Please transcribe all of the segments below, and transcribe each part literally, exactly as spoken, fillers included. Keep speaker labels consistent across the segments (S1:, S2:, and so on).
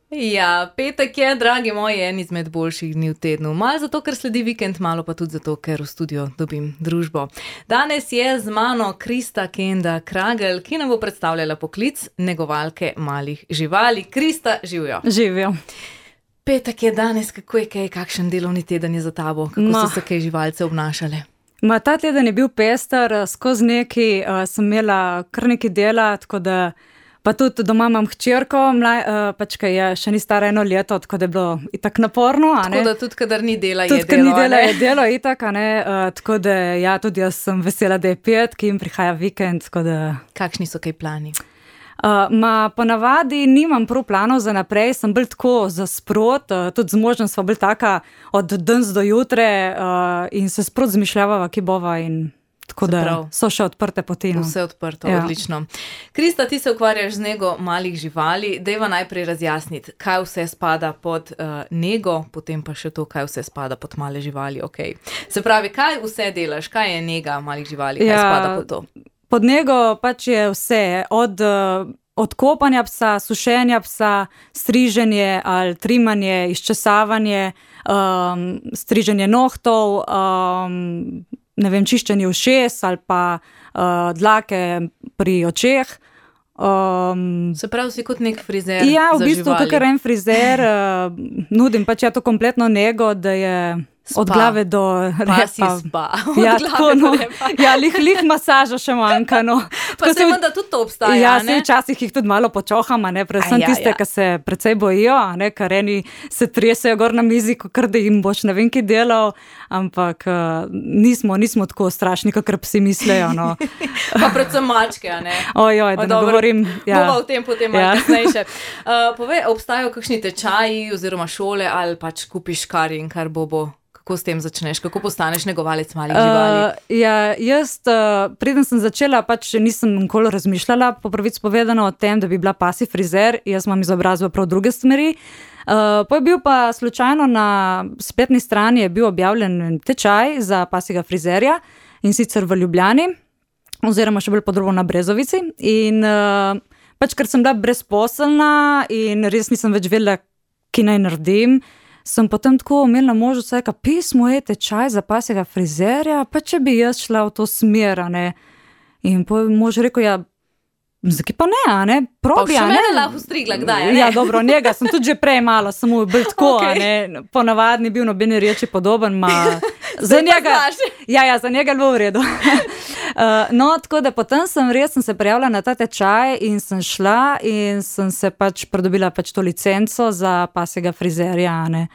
S1: Ja, petek je, dragi moji, en izmed boljših dni v tednu. Malo zato, ker sledi vikend, malo pa tudi zato, ker v studio dobim družbo. Danes je z mano Krista Kenda Kragelj, ki nam bo predstavljala poklic negovalke malih živali. Krista, živijo.
S2: Živijo.
S1: Petek je danes, kako je kaj, kakšen delovni teden je za tabo? Kako no. so se kaj živalce obnašale?
S2: Ma, ta teden je bil pester, skozi neki uh, sem imela kar nekaj dela, tako da pa tudi doma imam hčerko, mlaj, uh, pač, ki je še ni stara eno leto, tako da je bilo itak naporno. A ne?
S1: Tako da tudi, kadar ni dela,
S2: tudi,
S1: je delo.
S2: Tudi, kadar ni dela, je delo itak, a ne? Uh, tako da ja, tudi jaz sem vesela, da je petki in prihaja vikend, tako da...
S1: Kakšni so kaj plani?
S2: Uh, ma, ponavadi nimam prav planov za naprej, sem bolj tako za sprot, uh, tudi z možem sva bolj taka od danes do jutre uh, in se sprot zmišljava, ki bova in... Tako da so še odprte poti.
S1: Vse odprto, ja. Odlično. Krista, ti se ukvarjaš z nego malih živali. Dejva najprej razjasniti, kaj vse spada pod uh, nego, potem pa še to, kaj vse spada pod male živali. Okay. Se pravi, kaj vse delaš? Kaj je nega malih živali? Kaj ja, spada pod to?
S2: Pod nego pač je vse. Od, uh, od kopanja psa, sušenja psa, striženje ali trimanje, izčesavanje, um, striženje nohtov, um, ne vem, čiščenje ušes ali pa uh, dlake pri očeh. Um,
S1: Se pravi, si kot nek frizer
S2: ja,
S1: za živali. Ja, v
S2: bistvu kakor en frizer, uh, nudim pač ja to kompletno nego, da je spa. Od glave do repa.
S1: Pa si spa. Od
S2: ja,
S1: glave
S2: tako,
S1: do
S2: no,
S1: repa.
S2: Ja, lih, lih masaža še manjka, no.
S1: Pa se vam, da tudi to obstaja,
S2: ja,
S1: ne?
S2: Ja, včasih jih tudi malo počoham, ne, predvsem
S1: ja,
S2: tiste,
S1: ja.
S2: ki se precej bojijo, ne, kar eni se tresejo gor na mizi, kar da jim boš ne vem, ki delal, ampak uh, nismo, nismo tako strašni, kakor psi mislejo, no.
S1: Pa predvsem mačke, a ne?
S2: Ojoj, da ne govorim.
S1: Ja. Bova v tem potem malo ja. kasnejše. Uh, povej, obstajajo kakšni tečaji oziroma šole ali pač kupiš kar in kar bobo? Kako s tem začneš? Kako postaneš negovalec malih živali?
S2: Uh, ja, jaz, uh, preden sem začela, pač nisem nikoli razmišljala, po pravici povedano o tem, da bi bila pasi frizer, jaz imam izobrazbo prav druge smeri. Uh, pa je bil pa slučajno na spletni strani je bil objavljen tečaj za pasjega frizerja in sicer v Ljubljani, oziroma še bolj podrobno na Brezovici. In uh, pač, ker sem bila brezposelna in res nisem več vedela, ki naj naredim, sem potem tako imela možnost, da pismo je tečaj za pasjega frizerja, pa če bi jaz šla v to smer, ne. In po mož rekel, ja, zakaj pa ne, a ne, probi, a ne.
S1: Pa še mene lahko strigla, kdaj, a ne?
S2: Ja, dobro, njega sem tudi že prej malo, samo bil tako,
S1: okay.
S2: a ne, ponavadni bil nobeni reči podoben, ma... Za njega, ja, ja, za njega je bilo v redu. uh, no, tako da potem sem res sem se prijavila na ta tečaj in sem šla in sem se pač pridobila pač to licenco za pasjega frizerja, ne.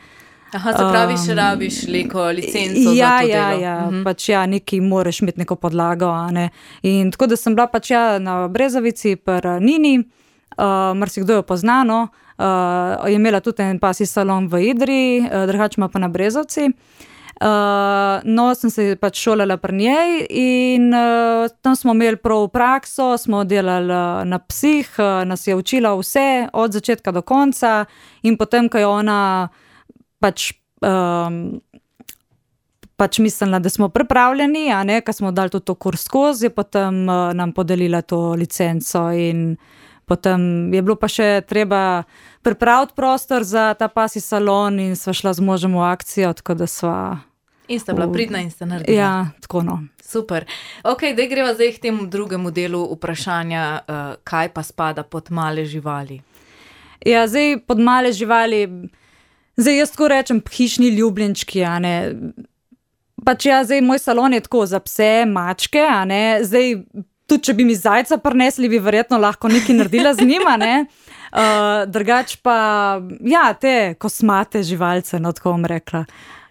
S1: Aha, se pravi, še rabiš neko licenco
S2: ja,
S1: za to
S2: ja,
S1: delo.
S2: Ja,
S1: mhm.
S2: pač ja, neki moraš imeti neko podlago, a ne. In tako da sem bila pač ja na Brezovici pri Nini, uh, marsikdo jo pozna, no, uh, je imela tudi en pasji salon v Idri, uh, drugače ima pa na Brezovci. Uh, no, sem se pač šolala pri njej in uh, tam smo imeli prav prakso, smo delali uh, na psih, uh, nas je učila vse od začetka do konca in potem, ko je ona pač, um, pač mislila, da smo pripravljeni, a ne, ko smo dali tudi to kurs skozi, je potem uh, nam podelila to licenco in potem je bilo pa še treba pripraviti prostor za ta pasji salon in sva šla z možem v akcijo, tako da sva...
S1: In sta bila pridna in sta naredila.
S2: Ja, tako no.
S1: Super. Ok, daj greva zdaj k temu drugemu delu vprašanja, uh, kaj pa spada pod male živali.
S2: Ja, zdaj pod male živali, zdaj jaz tako rečem hišni ljubljenčki, a ne. Pač ja, zdaj moj salon je tako za pse, mačke, a ne, zdaj tudi če bi mi zajca prinesli, bi verjetno lahko nekaj naredila z njima, ne. Uh, drugač pa, ja, te kosmate živalce, no, tako bom rekla.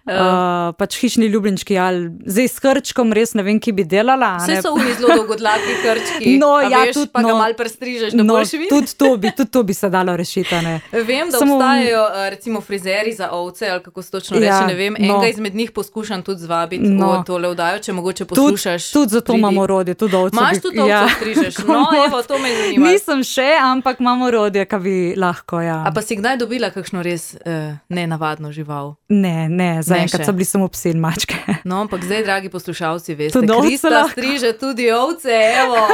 S2: Uh, pač hišni ljubljenčki, ali zdaj s krčkom res ne vem, ki bi delala.
S1: Vse so uni zelo dolgodlaki krčki,
S2: no,
S1: a
S2: ja,
S1: veš,
S2: tudi,
S1: pa
S2: no,
S1: ga malo prestrižeš, da
S2: no,
S1: boš videl.
S2: Tudi to bi, tudi to bi se dalo rešiti, ne.
S1: Vem, da
S2: Samo,
S1: obstajajo recimo frizeri za ovce, ali kako se točno reče,
S2: ja,
S1: ne vem,
S2: no,
S1: enega izmed njih poskušam tudi zvabiti
S2: no,
S1: v tole vdajo, če mogoče poslušaš.
S2: Tudi tud zato imamo rodje, tudi ovce.
S1: Imaš tudi ovce,
S2: ja,
S1: strižeš, no, evo, to me zanima.
S2: Nisem še, ampak imamo rodje, ka bi lahko, ja.
S1: A pa si kdaj dobila kakšno res uh, nenavadno žival?
S2: Ne, ne, zaenkrat so bili samo psi in mačke.
S1: No, ampak zdaj, dragi poslušalci, veste,
S2: tudi
S1: Krista striže tudi ovce, evo.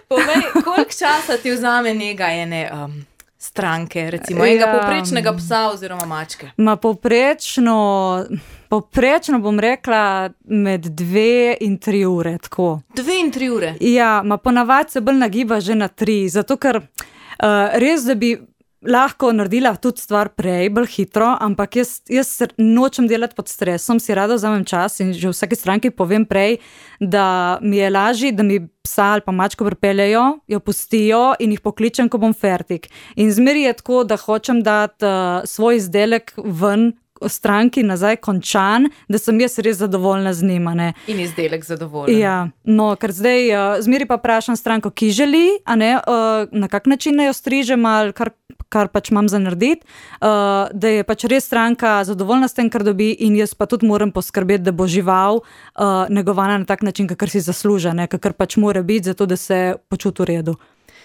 S1: Povej, koliko časa ti vzame nega ene um, stranke, recimo enega ja. Povprečnega psa oziroma mačke?
S2: Ma povprečno, povprečno bom rekla med dve in tri ure, tako.
S1: Dve in tri ure?
S2: Ja, ma ponavadi se bolj nagiba že na tri, zato ker uh, res, da bi lahko naredila tudi stvar prej, bolj hitro, ampak jaz, jaz nočem delati pod stresom, si rada vzamem čas in že v vsaki stranki povem prej, da mi je lažje, da mi psa ali pa mačko pripeljejo, jo pustijo in jih pokličem, ko bom fertik. In zmeri je tako, da hočem dati uh, svoj izdelek ven, stranki nazaj končan, da sem jaz res zadovoljna z njima. Ne.
S1: In izdelek zadovoljen.
S2: Ja, no, ker zdaj uh, zmeri pa vprašam stranko, ki želi, a ne, uh, na kak način jo strižem ali kar, kar pač imam za narediti, uh, da je pač res stranka zadovoljna s tem, kar dobi in jaz pa tudi moram poskrbeti, da bo žival uh, negovana na tak način, kakor si zasluža, ne, kakor pač mora biti, zato da se počuti v redu.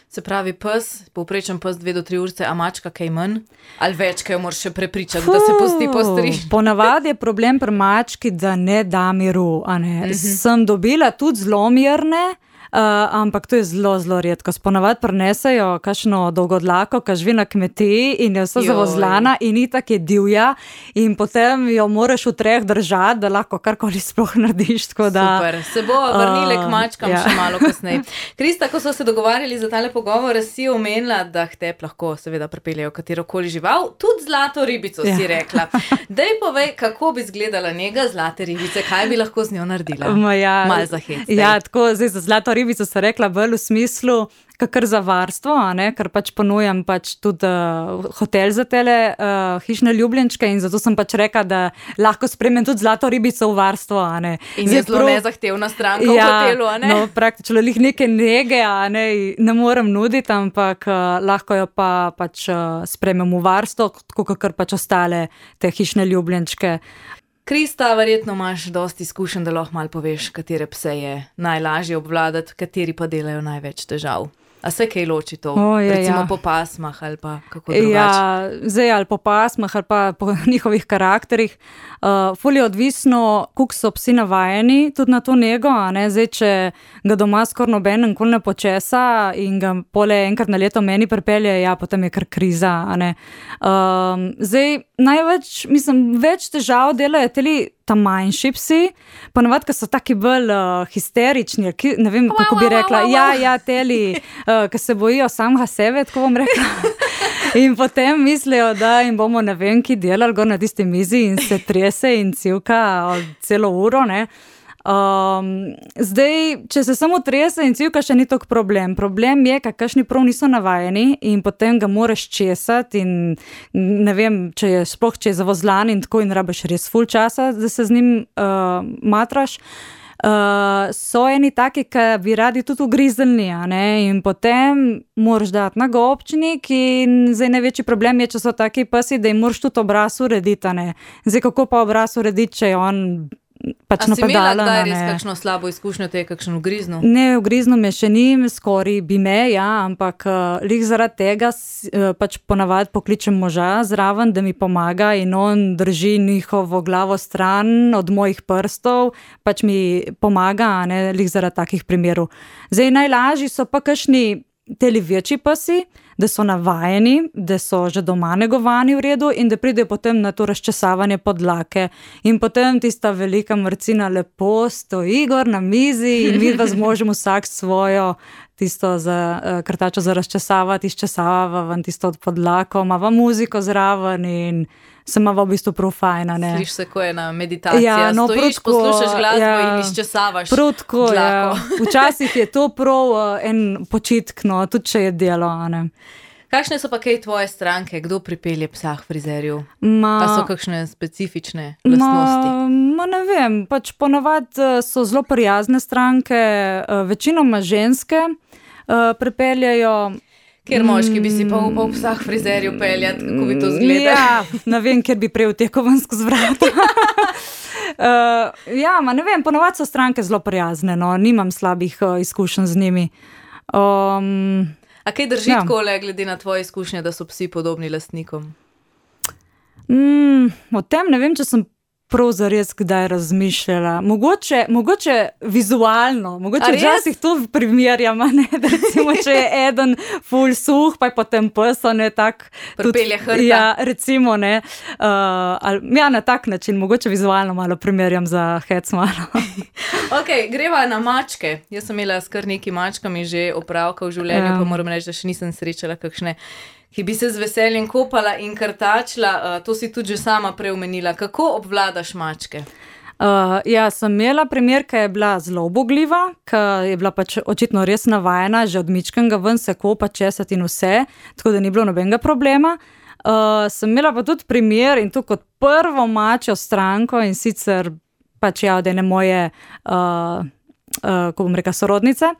S1: Se pravi, pes, povprečen pes dve do tri urce, a mačka kaj manj? Ali več, kaj jo moraš še prepričati, Fuh, da se pusti postriž?
S2: Ponavadi je problem pri mački, da ne da miru. A ne. Mm-hmm. Sem dobila tudi zelo mirne, uh, ampak to je zelo, zelo redko. Ponavadi prinesejo kakšno dolgodlako, ki živi na kmetiji in je vsa zavozlana in itak je divja in potem jo moraš v treh držati, da lahko karkoli sploh narediš. Da,
S1: Super, se bo vrnile uh, k mačkam ja. Še malo kasneje. Krista, ko so se dogovarjali za tale pogovor, si omenila, da k tebi lahko seveda pripeljejo katerokoli žival, tudi zlato ribico, ja. Si rekla. Dej povej, kako bi izgledala njega zlate ribice, kaj bi lahko z njo naredila?
S2: Ja,
S1: Mal za hec.
S2: Ja, tako, zdaj za zlato ribico se rekla bolj v smislu, kakor za varstvo, a ne, ker pač ponujam pač tudi uh, hotel za tele uh, hišne ljubljenčke in zato sem pač rekla, da lahko spremem tudi zlato ribico v varstvo, a ne.
S1: In je zelo prav... nezahtevna stranka ja, v hotelu, a ne?
S2: No, praktično lih neke nege, a ne, ne morem nuditi, ampak uh, lahko jo pa pač uh, spremem v varstvo, tako kakor pač ostale te hišne ljubljenčke.
S1: Krista, verjetno imaš dosti izkušenj, da lahko malo poveš, katere pse je najlažje obvladati, kateri pa delajo največ težav. A se kaj loči to? O, je, recimo ja. Po pasmah ali pa kako drugače?
S2: Ja, zdaj ali po pasmah ali pa po njihovih karakterih. Uh, ful je odvisno, koliko so psi navajeni tudi na to nego, a ne, zdaj, če ga doma skoro noben nikoli ne počesa in ga pole enkrat na leto meni pripelje, ja, potem je kar kriza, a ne. Um, zdaj, največ, mislim, več težav delajo teli ta manjši psi, ponavadi, ki so taki bolj uh, histerični, ki, ne vem, kako bi rekla, ja, ja, teli, uh, ki se bojijo samega sebe, tako bom rekla. In potem mislijo, da jim bomo ne vem, ki delali gor na tisti mizi in se trese in civka celo uro, ne. Um, zdaj, če se samo trese in civka, še ni tok problem. Problem je, kakšni prav niso navajeni in potem ga moraš česati in ne vem, če je sploh, če je zavozlan in tako in rabiš res ful časa, da se z njim uh, matraš. Uh, so eni taki, ki bi radi tudi ugrizelni, a ne, in potem moraš dati na gobčnik in zdaj največji problem je, če so taki psi, da jim moraš tudi obraz urediti, a ne. Zdaj, kako pa obraz urediti, če je on pač
S1: napadala. A si imela
S2: napadala,
S1: kdaj res kakšno slabo izkušnjo, te je kakšen ugrizno?
S2: Ne, ugrizno me še ni, skoraj bi me, ja, ampak uh, lih zaradi tega uh, pač ponavadi pokličem moža zraven, da mi pomaga in on drži njihovo glavo stran od mojih prstov, pač mi pomaga, a ne, lih zaradi takih primerov. Zdaj, najlažji so pa kakšni teli večji psi, da so navajeni, da so že doma negovani v redu in da pridejo potem na to razčesavanje podlake. In potem tista velika mrcina lepo stoji gor na mizi in mi vas možemo vsak svojo tisto za, uh, krtačo za razčesavati, izčesava ven tisto od podlako, imava muziko zraven in se imava v bistvu prav fajna, ne.
S1: Sliš se, ko je na meditaciji,
S2: ja, no,
S1: stojiš,
S2: prutko,
S1: poslušaš glasbo
S2: ja,
S1: in izčesavaš
S2: prutko,
S1: dlako.
S2: Ja. Včasih je to prav uh, en počitk, no, tudi če je delo, a ne.
S1: Kakšne so pa kaj tvoje stranke? Kdo pripelje psa k frizerju?
S2: Ma,
S1: a so kakšne specifične lastnosti?
S2: Ma, ma ne vem, pač ponavadi so zelo prijazne stranke, večinoma ženske uh, pripeljajo.
S1: Kjer moški bi si pa upal psa k frizerju peljati, kako bi to zgleda?
S2: Ja, ne vem, kjer bi prej vtekel ven skozi vrata. uh, ja, ma ne vem, ponavadi so stranke zelo prijazne, no, nimam slabih uh, izkušenj z njimi. Um,
S1: A kaj drži
S2: ja.
S1: takole, glede na tvoje izkušnje, da so psi podobni lastnikom?
S2: Mm, o tem ne vem, če sem prav zares kdaj razmišljala. Mogoče, mogoče vizualno, mogoče včasih to primerjam, ne, da recimo, če je eden ful suh, pa je potem pes, ne, tak.
S1: Pripelje hrta.
S2: Ja, recimo, ne, uh, ali, ja, na tak način, mogoče vizualno malo primerjam za hec malo.
S1: Ok, greva na mačke. Jaz sem imela s kar nekaj mačkami že opravka v življenju, ja. Pa moram reči, da še nisem srečala kakšne, ki bi se z veseljem kopala in krtačila. Uh, to si tudi že sama preomenila. Kako obvladaš mačke?
S2: Uh, ja, sem imela primer, ki je bila zelo ubogljiva, ki je bila pač očitno res navajena, že od mičkanga ven se kopa, česati in vse, tako da ni bilo nobenega problema. Uh, sem imela pa tudi primer in to kot prvo mačjo stranko in sicer pač ja, od ene moje, uh, uh, ko bom rekla, sorodnice.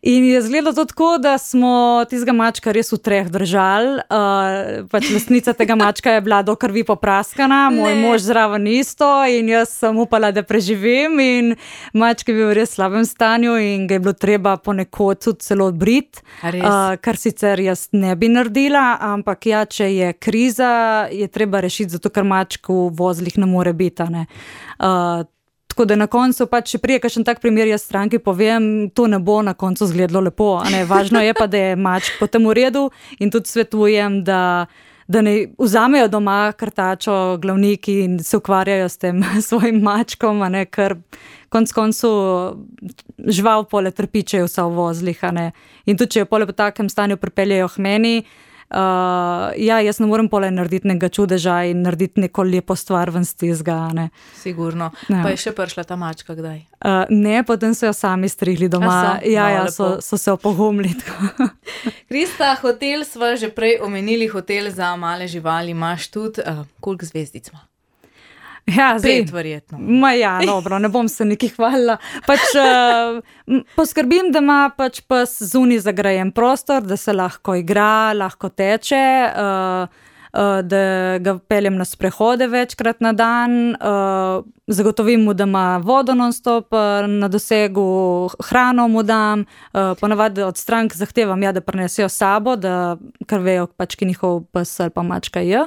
S2: In je izgledalo to tako, da smo tistega mačka res v treh držali. Uh, pač lastnica tega mačka je bila do krvi popraskana, moj ne. Mož zraven isto in jaz sem upala, da preživim in mačka je bil v res slabem stanju in ga je bilo treba ponekod tudi celo odbriti, uh, kar sicer jaz ne bi naredila, ampak ja, če je kriza, je treba rešiti, zato ker mačk v vozlih ne more biti, ne. Uh, Tako da na koncu pač, če prije kakšen tak primer jaz stranki povem, to ne bo na koncu izgledalo lepo, a ne, važno je pa, da je mačk potem v redu in tudi svetujem, da, da ne vzamejo doma krtačo glavniki in se ukvarjajo s tem svojim mačkom, a ne, ker konc koncu žival pole trpičejo vsa v vozlih, a ne, in tudi, če jo pole po takem stanju pripeljejo k meni, Uh, ja, jaz ne morem pole narediti nekega čudeža in narediti neko lepo stvar ven stizga, ne.
S1: Sigurno. Ja. Pa je še prišla ta mačka kdaj?
S2: Uh, ne, potem so jo sami strihli doma. Ja, no, ja, so, so se opogumili.
S1: Krista, hotel sva že prej omenili, hotel za male živali imaš tudi, uh, koliko zvezdic ima?
S2: Ja, zdaj,
S1: pet verjetno.
S2: Ma ja, dobro, ne bom se nekaj hvalila. Pač uh, poskrbim, da ima pač pes zunaj zagrajen prostor, da se lahko igra, lahko teče, uh, uh, da ga peljem na sprehode večkrat na dan, uh, zagotovim mu, da ima vodo non-stop uh, na dosegu, hrano mu dam, uh, ponavadi od strank zahtevam, ja, da prinesejo sabo, da kar vejo, pač ki njihov pes ali pa mačka je.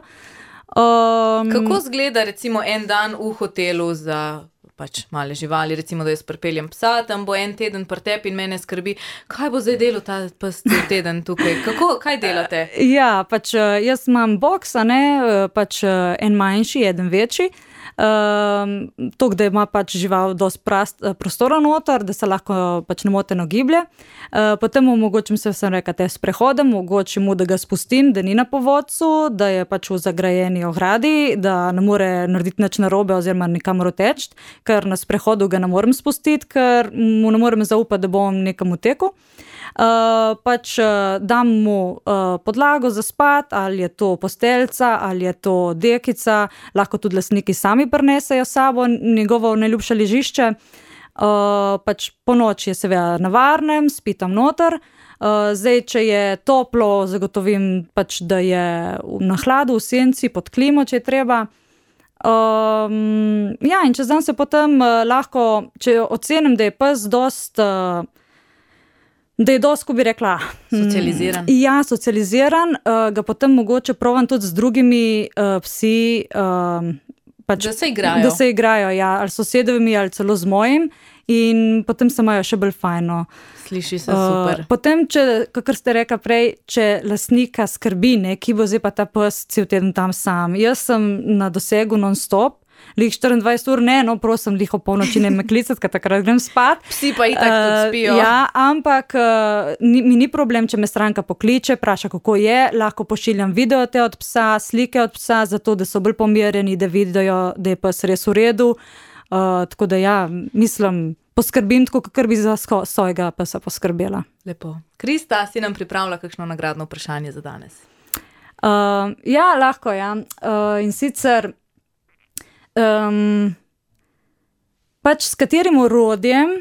S2: Um,
S1: Kako zgleda recimo en dan v hotelu za pač male živali, recimo, da jaz pripeljem psa, tam bo en teden pri tebi in mene skrbi, kaj bo zdaj delal ta pes teden tukaj? Kako, kaj delate?
S2: Ja, pač jaz imam boks, a ne, pač en manjši, eden večji. Um, to, da ima pač žival dosti prast, prostora noter, da se lahko pač nemoteno giblje. Uh, potem omogočim se, sem rekla, te sprehode, omogočim mu, da ga spustim, da ni na povodcu, da je pač v zagrajeni ogradi, da ne more narediti nič narobe oziroma nikamor teči, ker na sprehodu ga ne morem spustiti, ker mu ne morem zaupati, da bom nekam utekel. Uh, pač uh, dam mu uh, podlago za spat, ali je to posteljica, ali je to dekica, lahko tudi lastniki sami prinesejo sabo njegovo najljubše ležišče. Uh, pač po noči je seveda na varnem, spi tam noter. Uh, zdaj, če je toplo, zagotovim pač, da je na hladu, v senci, pod klimo, če je treba. Um, ja, in čez dan se potem uh, lahko, če ocenim, da je pes dost uh, da je dosti, ko bi rekla,
S1: socializiran.
S2: Mm, ja, socializiran, uh, ga potem mogoče provam tudi z drugimi uh, psi, uh, pač,
S1: da se igrajo.
S2: Da se igrajo, ja, ali sosedovimi, ali celo z mojim in potem se imajo še bolj fajno.
S1: Sliši se super.
S2: Uh, potem, če, kakor ste rekla prej, če lastnika skrbi, ne, ki bo zdaj pa ta pes cel teden tam sam. Jaz sem na dosegu non-stop, lih štiriindvajset ur, ne, no, prosim, lih o polnoči ne me klicati, ker takrat grem spat.
S1: Psi pa itak uh, tudi spijo.
S2: Ja, ampak uh, ni, mi ni problem, če me stranka pokliče, praša, kako je, lahko pošiljam video te od psa, slike od psa, zato, da so bolj pomirjeni, da vidijo, da je pes res v redu. Uh, tako da ja, mislim, poskrbim tako, kakor bi za svojega psa poskrbela.
S1: Lepo. Krista, si nam pripravila kakšno nagradno vprašanje za danes?
S2: Uh, ja, lahko, ja. Uh, in sicer Um, pač s katerim orodjem,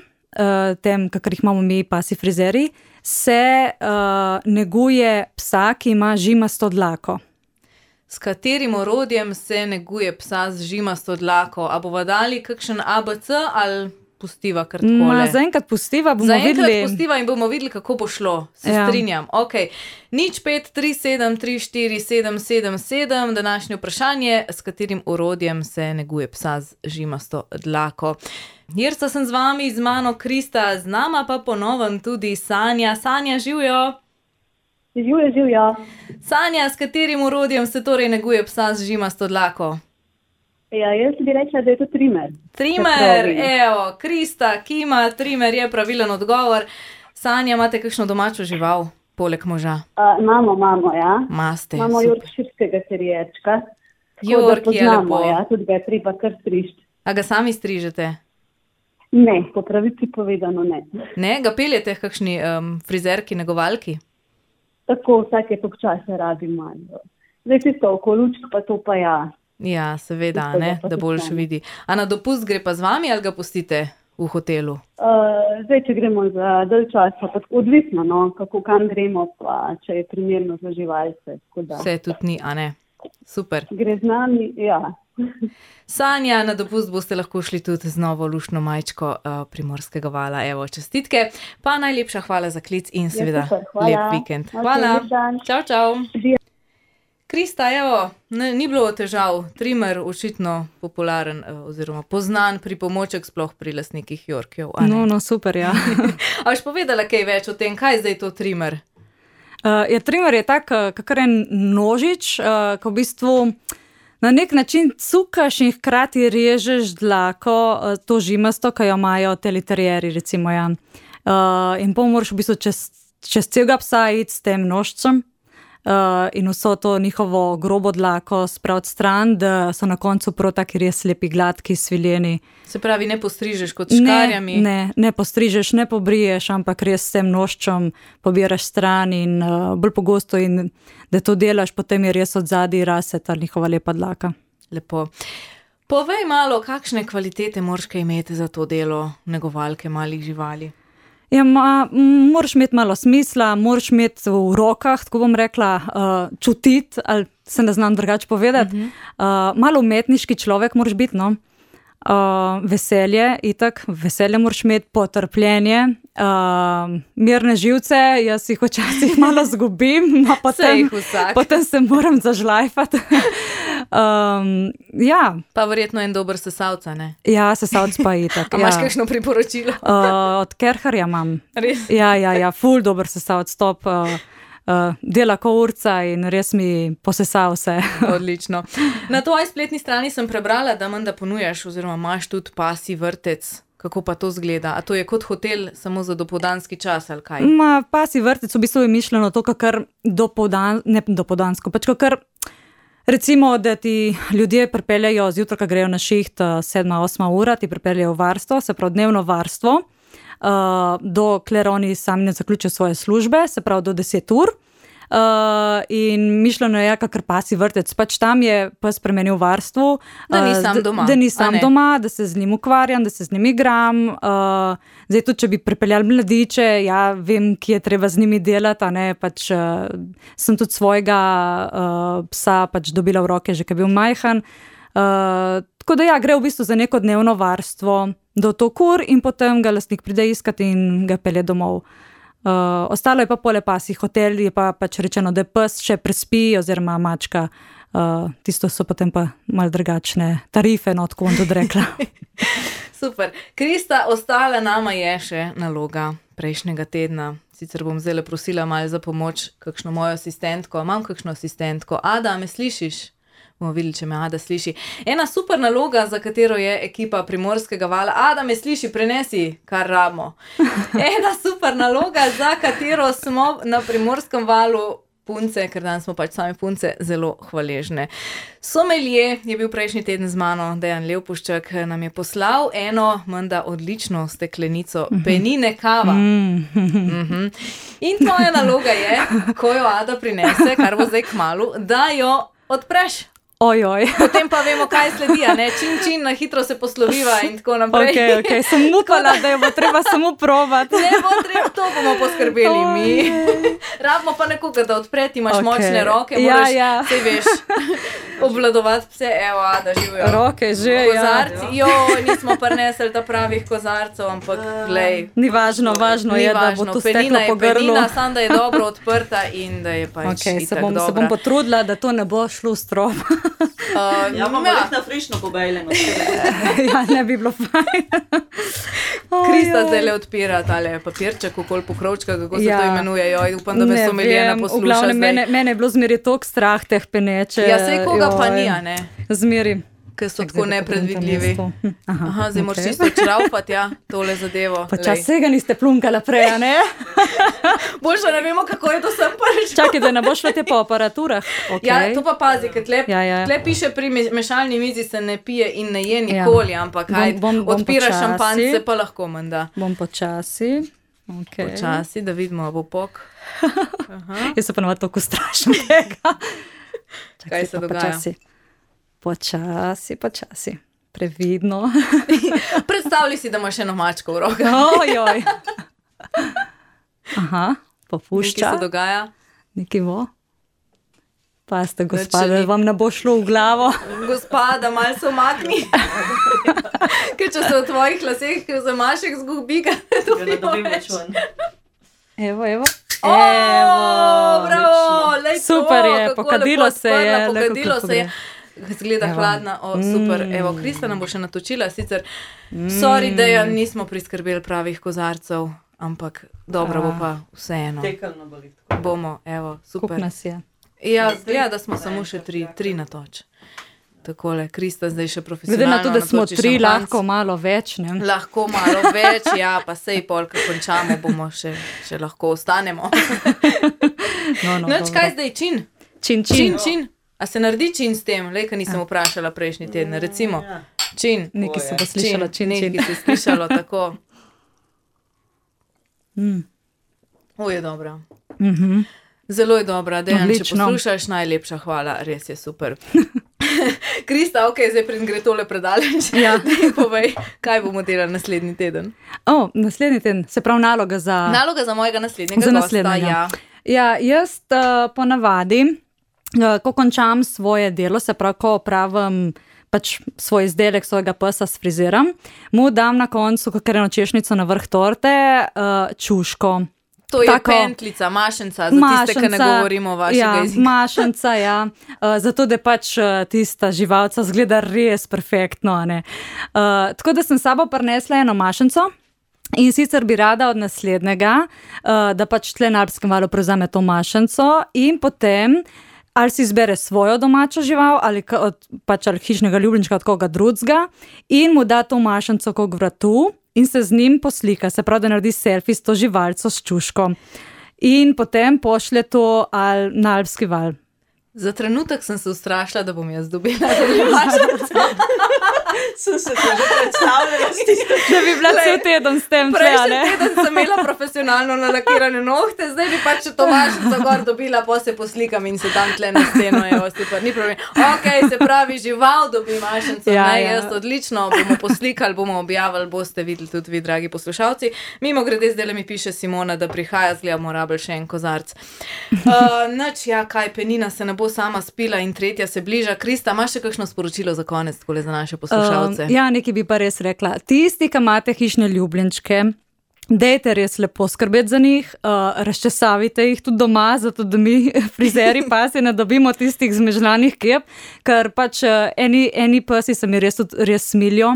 S2: uh, tem, kakor jih imamo mi, pasi frizeri, se uh, neguje psa, ki ima žimasto dlako.
S1: S katerim orodjem se neguje psa z žimasto dlako? A bova dali kakšen A B C ali pustiva kar takole?
S2: Zaenkrat pustiva, bomo
S1: Zaenkrat
S2: videli.
S1: Zaenkrat pustiva in bomo videli, kako bo šlo. Se
S2: Ja.
S1: strinjam. Ok. Nič pet, tri, sedem, tri, štiri, sedem, sedem, sedem. Današnje vprašanje, s katerim orodjem se neguje psa z žimasto dlako. Jerca sem z vami, z mano Krista, z nama pa ponovno tudi Sanja. Sanja, živijo?
S3: Živjo, živjo.
S1: Sanja, s katerim orodjem se torej neguje psa z žimasto dlako?
S3: Ja, jaz bi rekla, da je to trimer.
S1: Trimer, evo, Krista, ki ima trimer, je pravilen odgovor. Sanja, imate kakšno domačo žival, poleg moža?
S3: Uh, imamo, imamo, ja.
S1: Maste,
S3: Imamo
S1: super.
S3: jorkširskega terjerčka.
S1: York je lepo.
S3: Ja, tudi ga je treba kar strižiti.
S1: A ga sami strižete?
S3: Ne, po pravici povedano ne.
S1: Ne, ga peljete k kakšni um, frizerki, negovalki?
S3: Tako vsake tok časa rabimo. Zdaj tisto okolučk, pa to pa ja.
S1: Ja, seveda,
S3: Tisto
S1: ne,
S3: ga pa
S1: da
S3: tudi
S1: boljše
S3: sami.
S1: vidi. A na dopust gre pa z vami ali ga pustite v hotelu?
S3: Uh, zdaj, če gremo za dalj časa, pa tako odvisno, no, kako kam gremo, pa če je primerno za živalce. tako da
S1: Vse tudi ni, a ne? Super.
S3: Gre z nami, ja.
S1: Sanja, na dopust boste lahko šli tudi z novo luštno majčko uh, Primorskega vala. Evo, čestitke, pa najlepša hvala za klic in seveda
S3: super, hvala.
S1: lep vikend.
S3: Ok,
S1: Hvala.
S3: lep dan.
S1: Čau, čau.
S3: Živijo.
S1: Krista, evo, ne, ni bilo težav. Trimer očitno popularen eh, oziroma poznan pripomoček sploh pri lastnikih Yorkjev. a ne?
S2: No, no, super, ja.
S1: A boš povedala kaj več o tem, kaj je zdaj to trimer?
S2: Uh, ja, trimer je tak, uh, kakor en nožič, uh, ko v bistvu na nek način cukaš in hkrati režeš dlako, uh, to žimasto, ki jo imajo teliterjeri, recimo, ja. Uh, in pol moraš v bistvu čez, čez celega psa iti s tem nožcem. Uh, in vso to njihovo grobo dlako spraviti stran, da so na koncu prav taki res lepi, gladki, sviljeni.
S1: Se pravi, ne postrižeš kot škarjami?
S2: Ne, ne, ne postrižeš, ne pobriješ, ampak res s tem nožčem pobiraš stran in uh, bolj pogosto in da to delaš, potem je res od zadaj rase ta njihova lepa dlaka.
S1: Lepo. Povej malo, kakšne kvalitete moraš kaj imeti za to delo negovalke malih živali?
S2: Ja, ma, m, moraš imeti malo smisla, moraš imeti v rokah, tako bom rekla, uh, čutiti, ali se ne znam drugače povedati. Uh -huh. uh, malo umetniški človek moraš biti, no. Uh, veselje, itak, veselje moraš imeti, potrpljenje, uh, mirne živce, jaz jih včasih malo zgubim, no, potem,
S1: jih vsak.
S2: potem se moram zažlajfati. um, ja,
S1: Pa verjetno en dober sesalca, ne?
S2: ja, sesalc pa itak.
S1: A
S2: ja.
S1: imaš kakšno priporočilo?
S2: Uh, od Kerharja imam.
S1: Res?
S2: Ja, ja, ja, ful dober sesalc, top, uh, uh, dela ko urca in res mi posesa vse.
S1: Odlično. Na tvoji spletni strani sem prebrala, da menda ponujaš oziroma imaš tudi pasji vrtec. Kako pa to zgleda? A to je kot hotel samo za dopoldanski čas ali kaj?
S2: Ma, pasji vrtec v bistvu je mišljeno to, kakor dopoldan, ne dopoldansko, pač kakor recimo, da ti ljudje pripeljejo zjutraj, ko grejo na šiht, sedma, osma ura, ti pripeljejo varstvo, se pravi dnevno varstvo, uh, dokler oni sami ne zaključijo svoje službe, se pravi do deset ur. Uh, in mišljeno je, kakor pasji vrtec, pač tam je pes spremenil varstvu,
S1: Da ni
S2: uh,
S1: sam
S2: d-
S1: doma,
S2: da ni
S1: a
S2: sam
S1: ne?
S2: doma, da se z njim ukvarjam, da se z njim igram. Uh, zdaj tudi, če bi pripeljali mladiče, ja, vem, kje je treba z njimi delati, a ne, pač uh, sem tudi svojega uh, psa pač dobila v roke, že ko je bil majhen. Uh, tako da ja, gre v bistvu za neko dnevno varstvo do tok ur in potem ga lastnik pride iskat in ga pelje domov. Uh, ostalo je pa pole pasji hotel, je pa pač rečeno, da pes še prespi oziroma mačka. Uh, tisto so potem pa malo drugačne tarife, no, tako bom tudi rekla.
S1: Super. Krista, ostala nama je še naloga prejšnjega tedna. Sicer bom zdaj prosila malo za pomoč, kakšno mojo asistentko. Imam kakšno asistentko. Ada, me slišiš? Bomo videli, če me Ada sliši. Ena super naloga, za katero je ekipa Primorskega vala. Ada, me sliši, prenesi, kar rabimo. Ena super naloga, za katero smo na Primorskem valu punce, ker danes smo pač sami punce, zelo hvaležne. Somelje je bil prejšnji teden z mano, Dejan Levpuščak, nam je poslal eno menda odlično steklenico penine kava. Mhm. In tvoja naloga je, ko jo Ada prinese, kar bo zdaj kmalu, da jo odpreš.
S2: Ojoj.
S1: Potem pa vemo, kaj sledi, a ne? Čin, čin, na hitro se posloviva in tako naprej.
S2: Ok, ok, sem upala, da jo bo treba samo probati.
S1: Ne bo treba, to bomo poskrbeli mi. Rabimo pa nekoga, da odpre, ti imaš
S2: Ok.
S1: močne roke,
S2: Ja,
S1: moraš,
S2: ja.
S1: saj veš. obvladovati pse, evo, da živijo.
S2: Roke že,
S1: kozarci,
S2: ja.
S1: jo, nismo prinesli ta pravih kozarcev, ampak glej.
S2: Ni važno, važno
S1: Ni
S2: je, da
S1: važno,
S2: bo to
S1: penina
S2: steklo
S1: je
S2: po grlu.
S1: penina, samo da je dobro odprta in da je pač
S2: Okay, se,
S1: itak
S2: bom, se
S1: dobra.
S2: bom potrudila, da to ne bo šlo v strop.
S1: Uh,
S4: Ja, imamo
S1: ja.
S4: jih na frišno pobejljeno.
S2: Ja, ne bi bilo fajn.
S1: Krista
S2: Ojoj.
S1: zdaj le odpira tale papirček, okoli pokrovčka, kako se
S2: Ja.
S1: to imenuje. Joj, upam, da me
S2: Ne
S1: someljena
S2: vem,
S1: posluša
S2: v glavnem,
S1: zdaj.
S2: Mene, mene je bilo zmeri toliko strah teh peneče.
S1: Ja, sej koga pa
S2: joj.
S1: ni, a ne?
S2: Zmeri.
S1: Ker so
S2: Čak,
S1: tako
S2: zdaj pa pogledam
S1: nepredvidljivi.
S2: mesto. Hm, Aha,
S1: Aha, zdaj moraš
S2: okej.
S1: čisto čraufati, ja, tole zadevo.
S2: Pa
S1: Lej.
S2: čas vsega niste plunkala prej, a ne?
S1: Boljše ne vemo, kako je to sem prvič.
S2: Čakaj, da ne bo šlo te po aparaturah. Okay.
S1: Ja, to pa pazi, ker tle,
S2: Ja, ja.
S1: tle piše pri me- mešalni mizi se ne pije in ne je
S2: Ja.
S1: nikoli, ampak
S2: Bom-
S1: kaj,
S2: bom- bom
S1: odpiraš
S2: počasi.
S1: šampance, pa lahko menda.
S2: Bom počasi. Okay.
S1: Počasi, da vidimo, a bo pok.
S2: Jaz se pa navad toliko strašim tega. Čakaj,
S1: Kaj se
S2: pa
S1: dogaja?
S2: Počasi, počasi, počasi. Previdno.
S1: Predstavljaj si, da imaš eno mačko v rokah.
S2: Ojoj. Aha,
S1: Nekaj
S2: popušča.
S1: se dogaja.
S2: Nekaj bo. Pazite,
S1: Nič
S2: gospod,
S1: še ni.
S2: da vam ne bo šlo v glavo.
S1: Gospa, da malo se umakni. Ker če se v tvojih laseh zamašek zgubi, ga ne
S4: Da ne dobim
S1: dobimo
S4: več ven.
S2: Evo, evo.
S1: O, bravo, lej to,
S2: Super je,
S1: kako
S2: pokadilo
S1: lepo
S2: se je,
S1: odprla,
S2: le
S1: pokadilo
S2: kako
S1: se je.
S2: pogre.
S1: Zgleda
S2: Evo.
S1: hladna, o, super.
S2: Mm.
S1: Evo, Krista nam bo še natočila, sicer, sorry, da ja nismo priskrbeli pravih kozarcev, ampak dobro bo pa vseeno.
S4: Tekalno boli tako.
S1: Bomo, evo,
S2: Kup
S1: super.
S2: nas je.
S1: Ja, zgleda, da smo samo še tri, tri natoč. Takole, Krista zdaj še
S2: Glede
S1: profesionalno
S2: na to, da smo
S1: natoči
S2: tri,
S1: šampanjc.
S2: lahko malo več, ne?
S1: Lahko malo več, ja, pa sej pol, ko končamo, bomo še, še lahko ostanemo.
S2: No, no,
S1: Noč,
S2: dobro.
S1: kaj zdaj čin?
S2: Čin,
S1: Čin,
S2: čin.
S1: čin. A se naredi čin s tem? Lej, ka nisem vprašala prejšnji teden, recimo.
S4: Ja.
S1: Čin.
S2: Nekaj se bo
S4: Čin,
S2: slišalo, čin, čin.
S1: Nekaj se je slišalo tako.
S2: Mm.
S1: O, je dobra.
S2: Mhm.
S1: Zelo je dobra, Dejan, če
S2: Odlično.
S1: poslušaš, najlepša hvala, res je super. Krista, ok, zdaj pred gre tole predaleč.
S2: Ja.
S1: Daj povej, kaj bomo delali naslednji teden.
S2: O, naslednji teden, se pravi naloga za...
S1: Naloga za mojega naslednjega
S2: Za
S1: gosta,
S2: naslednjega.
S1: ja.
S2: Ja, jaz uh, ponavadi, uh, ko končam svoje delo, se pravi, ko opravim pač svoj izdelek, svojega psa sfriziram, mu dam na koncu kakreno češnjico na vrh torte, uh, čuško.
S1: To je
S2: Tako.
S1: pentlica, mašenca, za tiste, ki ne govorimo vašega
S2: ja,
S1: jezika.
S2: Mašenca, ja. Uh, zato, da pač uh, tista živalca zgleda res perfektno. a ne. Uh, tako da sem s sabo prinesla eno mašenco. In sicer bi rada od naslednjega, uh, da pač tle na Alpskem valu prevzame to mašenco in potem ali si izbere svojo domačo žival ali ka- od, pač ali hišnega ljubljenčka od koga drugega in mu da to mašenco kot vratu in se z njim poslika, se pravi, da naredi selfie s to živalco s čuško. In potem pošlje to al, na Alpski val.
S1: Za trenutek sem se ustrašila, da bom jaz dobila tudi mašenco.
S4: Sem se to že predstavljala s tisto.
S2: Da bi bila cel teden s tem tle, a
S1: Prejšnji
S2: ne?
S1: teden sem imela profesionalno nalakirane nohte, zdaj bi pač to mašenco gor dobila, pa se poslikam in se tam tle na steno, evo, super, ni problem. Ok, se pravi, žival dobi mašenco,
S2: Ja,
S1: ne,
S2: ja.
S1: jaz odlično, bomo poslikali, bomo objavili, boste videli tudi vi, dragi poslušalci. Mimo grede, zdaj mi piše Simona, da prihaja, zgledamo rabel še en kozarc. Uh, Nač, ja, kaj, penina se ne bo sama spila in tretja se bliža. Krista, imaš še kakšno sporočilo za konec, takole za naše poslušalce?
S2: Um, ja, nekaj bi pa res rekla. Tisti, ki imate hišne ljubljenčke, dajte res lepo skrbeti za njih, uh, razčesavite jih tudi doma, zato da mi frizeri pasi ne dobimo tistih zmežlanih kep, ker pač uh, eni, eni psi se mi res, tudi res smilijo.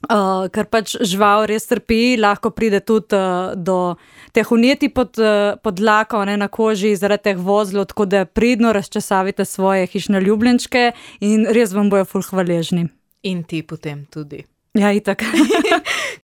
S2: Uh, ker pač žival res trpi, lahko pride tudi uh, do teh uneti pod, uh, pod dlako, ne, na koži zaradi teh vozlov, tako da pridno razčesavite svoje hišne ljubljenčke in res vam bojo ful hvaležni.
S1: In ti potem tudi.
S2: Ja, itak.